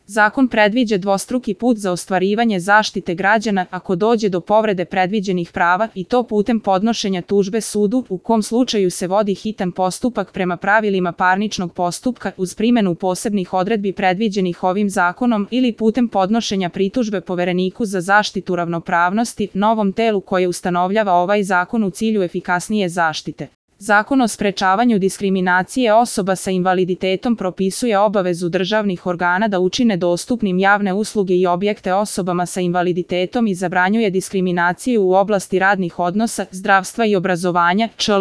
Zakon predviđa dvostruki put za ostvarivanje zaštite građana ako dođe do povrede predviđenih prava i to putem podnošenja tužbe sudu, u kom slučaju se vodi hitan postupak prema pravilima parničnog postupka uz primjenu posebnih odredbi predviđenih ovim zakonom ili putem podnošenja pritužbe Povereniku za zaštitu ravnopravnosti, novom telu koje ustanovljava ovaj zakon u cilju efikasnije zaštite. Zakon o sprečavanju diskriminacije osoba sa invaliditetom propisuje obavezu državnih organa da učine dostupnim javne usluge i objekte osobama sa invaliditetom i zabranjuje diskriminaciju u oblasti radnih odnosa, zdravstva i obrazovanja, čl.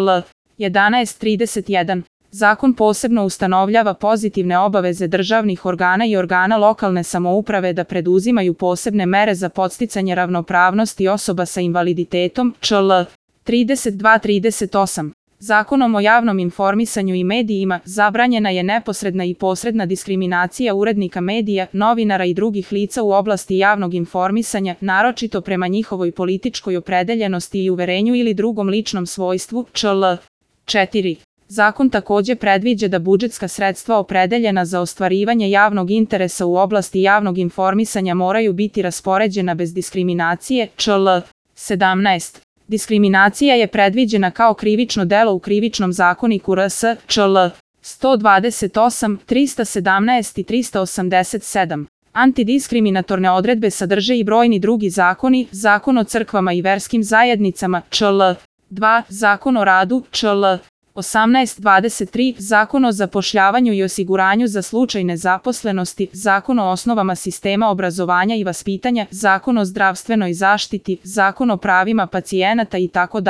1131. Zakon posebno ustanovljava pozitivne obaveze državnih organa i organa lokalne samouprave da preduzimaju posebne mere za podsticanje ravnopravnosti osoba sa invaliditetom, čl. 32-38. Zakonom o javnom informisanju i medijima zabranjena je neposredna i posredna diskriminacija urednika medija, novinara i drugih lica u oblasti javnog informisanja, naročito prema njihovoj političkoj opredeljenosti i uverenju ili drugom ličnom svojstvu, čl. 4. Zakon takođe predviđa da budžetska sredstva opredeljena za ostvarivanje javnog interesa u oblasti javnog informisanja moraju biti raspoređena bez diskriminacije, čl. 17. Diskriminacija je predviđena kao krivično delo u Krivičnom zakoniku RS, čl. 128, 317 i 387. Antidiskriminatorne odredbe sadrže i brojni drugi zakoni, Zakon o crkvama i verskim zajednicama, čl. 2, Zakon o radu, čl. 1823, Zakon o zapošljavanju i osiguranju za slučaj nezaposlenosti, Zakon o osnovama sistema obrazovanja i vaspitanja, Zakon o zdravstvenoj zaštiti, Zakon o pravima pacijenata itd.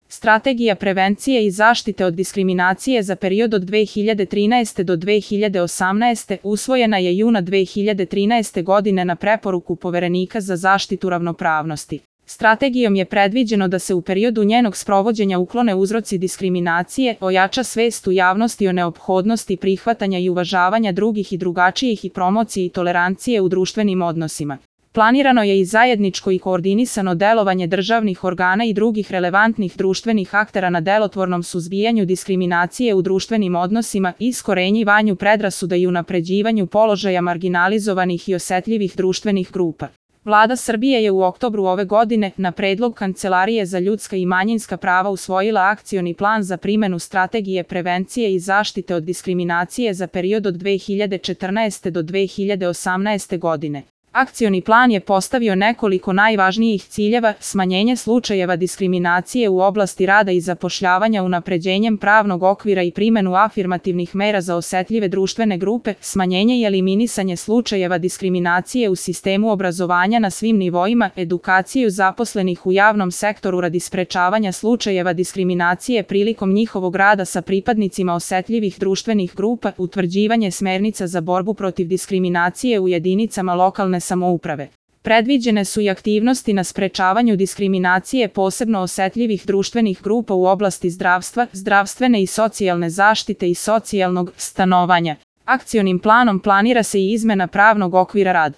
Strategija prevencije i zaštite od diskriminacije za period od 2013. do 2018. usvojena je juna 2013. godine na preporuku Poverenika za zaštitu ravnopravnosti. Strategijom je predviđeno da se u periodu njenog sprovođenja uklone uzroci diskriminacije, ojača svest u javnosti o neophodnosti prihvatanja i uvažavanja drugih i drugačijih i promocije i tolerancije u društvenim odnosima. Planirano je i zajedničko i koordinisano delovanje državnih organa i drugih relevantnih društvenih aktera na delotvornom suzbijanju diskriminacije u društvenim odnosima, iskorenjivanju predrasuda i unapređivanju položaja marginalizovanih i osetljivih društvenih grupa. Vlada Srbije je u oktobru ove godine, na predlog Kancelarije za ljudska i manjinska prava usvojila akcioni plan za primjenu strategije prevencije i zaštite od diskriminacije za period od 2014. do 2018. godine. Akcioni plan je postavio nekoliko najvažnijih ciljeva: smanjenje slučajeva diskriminacije u oblasti rada i zapošljavanja unapređenjem pravnog okvira i primjenu afirmativnih mera za osetljive društvene grupe, smanjenje i eliminisanje slučajeva diskriminacije u sistemu obrazovanja na svim nivoima, edukaciju zaposlenih u javnom sektoru radi sprečavanja slučajeva diskriminacije prilikom njihovog rada sa pripadnicima osetljivih društvenih grupa, utvrđivanje smernica za borbu protiv diskriminacije u jedinicama lokalne samouprave. Predviđene su i aktivnosti na sprečavanju diskriminacije posebno osetljivih društvenih grupa u oblasti zdravstva, zdravstvene i socijalne zaštite i socijalnog stanovanja. Akcionim planom planira se i izmena pravnog okvira rada.